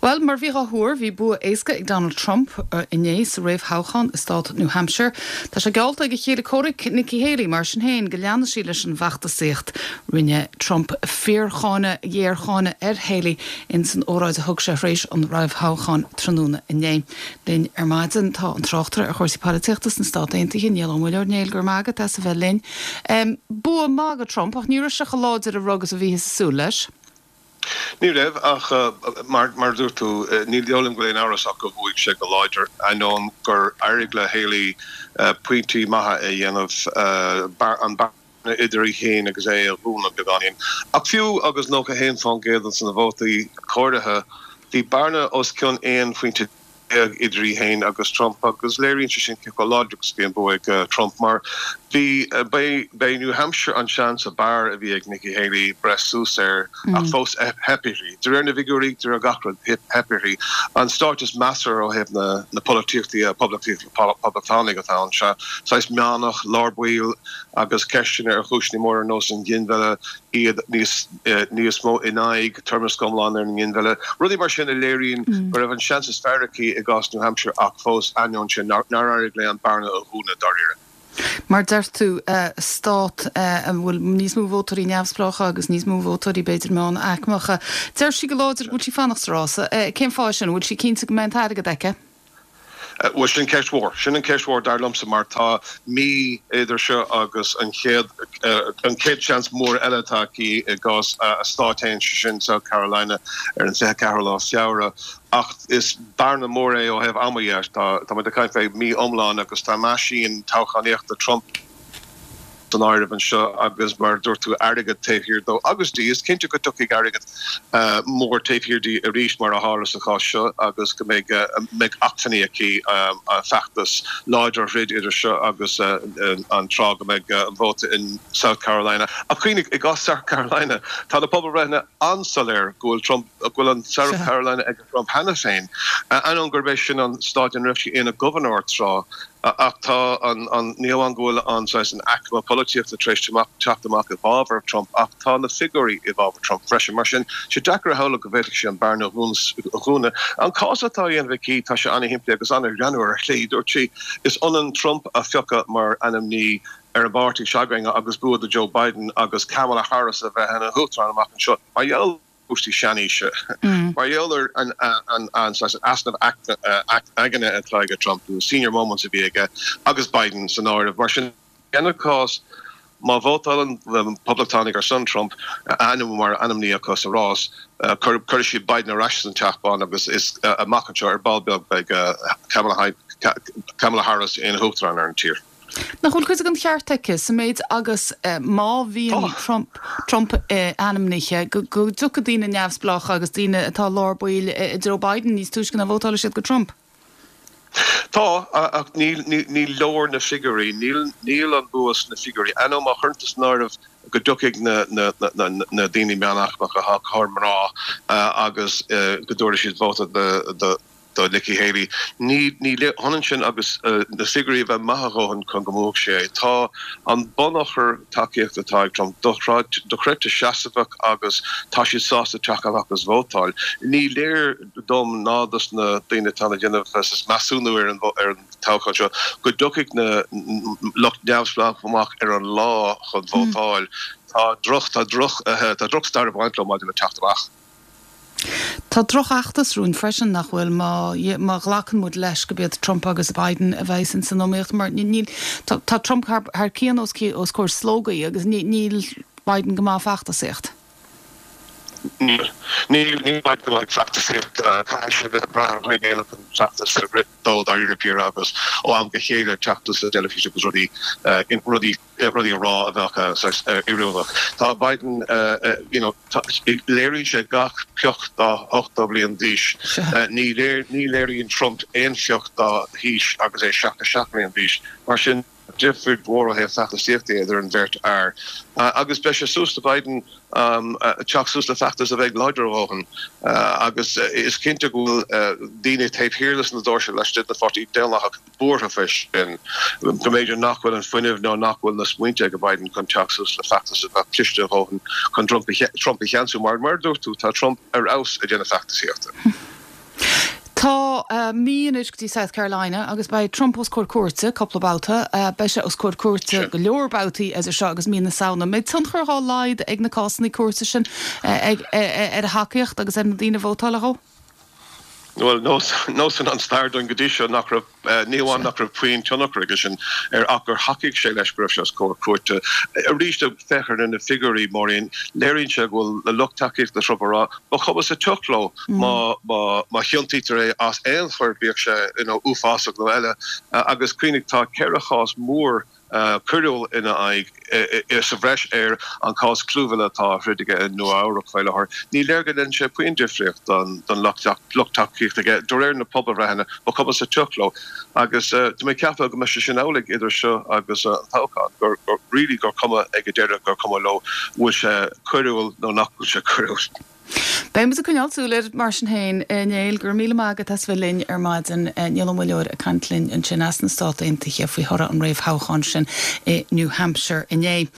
Bhuel, mar a bhí á thuar, bhí bua éasca ag Donald Trump inné sa réamhthoghchán i stát New Hampshire. Tá sé geallta ag a chéile comhraic, Nikki Haley, mar sin féin, go leanfaidh sí leis an bhfeachtasaíocht. Rinne Trump fíorcháineadh, ghéarcháineadh ar Haley ins an óráid a thug sé tar éis an réamhthoghcháin tráthnóna inné. Linn ar maidin tá an tráchtaire ar chúrsaí polaitíochta sna Stát Aontaithe, Niall Ó Muilleoir. Niall, go raibh maith agat as a bheith linn. Bua maith do Trump ach ní raibh sé chomh láidir a rug is a bhíothas ag súil leis. Ní raibh, ach mar a dúirt tú, ní dóigh liom go bhfuil aon amhras ach gur bhuaigh sé go láidir, ainneoin gur éirigh le Haley pointí maithe a dhéanamh, an bearna idir í féin agus é a dhúnadh beagáinín. Ach fiú agus 91% de na vótaí comhairthe, bhí bearna os cionn 11 phointe idir í féin agus Trump agus léiríonn sé sin cé chomh láidir agus a bhí an bua ag Trump mar bhí, b'é New Hampshire an seans ab fhearr a bhí ag Nikki Haley breith suas air ach fós theip uirthi. De réir na bhfigiúirí, de réir gach rud, theip uirthi. An stát is measartha ó thaobh na polaitíochta de, poblachtánaigh atá ann, sea, saghas meánach, lár baill agus ceisteanna ar chúiseanna móra ar nós an ghinmhilleadh, iad níos níos mó in aghaidh toirmeasc iomlán ar an nginmhilleadh, rudaí mar sin a léiríonn go raibh an seans is fearr aici i gcás New Hampshire ach fós, ainneoin sin, nár éirigh léi an bearna a dhúnadh dáiríre. Mar deir tú, stát a bhfuil níos mó vótóirí neamhspleácha agus níos mó vótóirí b'fhéidir meánaicmeacha. Deir sí go láidir go bhfuil sí fanacht sa rása. Cén fáth sin? An bhfuil sí cinnte go mbeidh an t-airgead aici? Bhuel, sin ceist mhór. Sin an ceist mhór dar liomsa mar tá mí idir seo agus an chéad, an chéad seans mór eile atá aici i gcás a stáit féin, sé sin South Carolina ar an 24 lá Feabhra. Ach is bearna mór é ó thaobh ama dhe. Tá muid ag caint fé mí iomlán agus tá meaisín toghchánaíochta Trump, san áireamh anseo agus mar a dúirt tú airgead taobh thiar dó agus di. Is cinnte go dtiocfaidh airgead mór taobh thiar di arís mar a tharla sa chás seo agus go mbeidh mbeidh acmhainní aici feachtas láidir a throid idir seo agus an tráth go mbeidh an vóta in South Carolina. Ach cuimhnigh, i gcás South Carolina tá na pobalbhreitheanna an-soiléir go bhfuil Trump, go bhfuil an South Carolina ag Trump cheana féin, ainneoin gurb é sin an stát ina raibh sé ina ghobharnóir tráth. Ach tá an, an, ní hamháin go bhfuil an saghas, an aicme polaitíochta tar éis teacht amach i bhfabhar Trump ach tá na figiúirí i bhfabhar Trump freisin. Mar sin, sé deacair a shamhlú go bhféadfadh sí an bearna a dhúnadh. An cás atá á dhéanamh aici, tá sé an-shimplí agus an-ghreannmhar ar shlí. Dúirt sí, Is ionann Trump a phiocadh mar ainmní ar an bpáirtí s'againn agus bua do Joe Biden agus Kamala Harris a bheith ina huachtarán amach anseo. Mar gheall. cúrsaí seanaoise. Mar gheall ar an saghas easnamh aigne atá ag Trump, na senior moments a bhí aige, agus Biden san áireamh. Mar sin, ina cás, má vótálann na Poblachtánaigh ar son Trump, a ainm mar ainmní acu sa rás, cuirfidh siad Biden ar ais san Teach Bán agus is amach anseo ar ball beag beidh Kamala Harris ina huachtarán ar an tír. Nach bhfuil cuid den cheart aici sa méid agus má bhíonn Trump Trump ainmnithe, go dtiocfaidh daoine neamhspleácha agus daoine atá lár baill i dtreo Biden níos túisce ná vótálfaidh siad go Trump? Tá, ach ní leor na figiúirí. Níl an bua sna figiúirí. Ainneoin má chuireann tú san áireamh go dtiocfaidh na daoine meánaicmeacha, go háirithe mná, agus go dtabharfaidh siad vóta do do Nikki Haley. Ní hionann sin agus na figiúirí a bheith maith a dhóthain chun go mbuafadh sé é. Tá an bunachar tacaíochta atá ag Trump dochreidte seasmhach agus tá siad sásta teacht amach agus vótáil. Ní léir dom ná dos na daoine atá ag déanamh measúnú ar an toghchán seo go dtiocfaidh na lucht neamhspleách amach ar an lá chun vótáil. Tá droch, tá droch, tá drochstair ag baint leo maidir le teacht amach. Tá drochfheachtas romhainn freisin, nach bhfuil, má, má ghlacann muid leis gurb iad Trump agus Biden a bheas ins an iomaíocht, mar níl, tá, tá Trump thar, thar cionn os, os comhair slógaí agus ní, níl Biden go maith ag feachtasaíocht. Níl. Níl, níl Biden go maith ag feachtasaíocht. Caithfidh sé a bheith ag brath ar dhaoine eile chun feachtas a rith dó, dáiríre píre, agus ó am go chéile teacht sa teilifís agus rudaí, rudaí. rudaí a rá a bheadh saghas oiriúnach. Tá Biden, you know, léiríonn sé gach pioc dá 80 bliain d'aois. Ní ní léiríonn Trump aon phioc dá haois agus é 77 bliain d'aois. Mar sin, difríocht mhór ó thaobh feachtasaíochta idir an bheirt fhear. Agus beidh sé suas le Biden teacht suas le feachtas a bheidh láidir a dhóthain. Agus is cinnte go bhfuil daoine taobh thiar de na doirse laistigh den Pháirtí Daonlathach, buartha faoi sin, go mb'fhéidir nach bhfuil an fuinneamh nó nach bhfuil na smaointe ag Biden chun teacht suas le feachtas a bheadh cliste a dhóthain chun Trump a cheansú. Mar, mar a dúirt tú, tá Trump ar fheabhas ag déanamh feachtasaíochta. Tá mí anois go dtí South Carolina agus beidh Trump os comhair cúirte cúpla babhta. Beidh sé os comhair cúirte go leor babhtaí idir seo agus mí na Samhna. An mbeidh tionchar dhá laghad ag na cásanna cúirte sin ar a thacaíocht agus ar na daoine a vótáilfidh dhó? Bhuel, nósann an stair dúinn go dtí seo nach raibh, ní hamháin nach raibh puinn tionchar aige sin air ach gur thacaigh sé leis go raibh sé os comhair cúirte. Arís, féach ar na figiúirí, Máirín, léiríonn sé go bhfuil lucht tacaíochta Trump ag rá, ba chuma sa tsioc leo má má chiontaítear é as aon choir, bíodh sé you know uafásach nó eile. Agus cuimhnigh, tá 4 chás mór coiriúil ina aghaidh sa bhreis ar an chás clúmhilleadh atá á throid aige i Nua Eabhrac faoi láthair. Ní léir go ndéanann sé puinn difríocht don lucht tacaíochta aige. De réir na pobalbhreitheanna, ba chuma sa tsioc leo. Agus tá mé ag ceapadh go mbeidh sé sin amhlaidh idir seo agus an toghchán, gur really gur cuma ag an deireadh gur cuma leo bhfuil sé coiriúil nó nach bhfuil sé coiriúil. Beidh muid ag coinneáil súil air mar sin féin. A Néill, go raibh míle maith agat as bheith linn ar maidin. Niall Ó Muilleoir ag caint linn ansin as na Stát Aontaithe faoi thoradh an réamhthoghcháin sin i New Hampshire inné.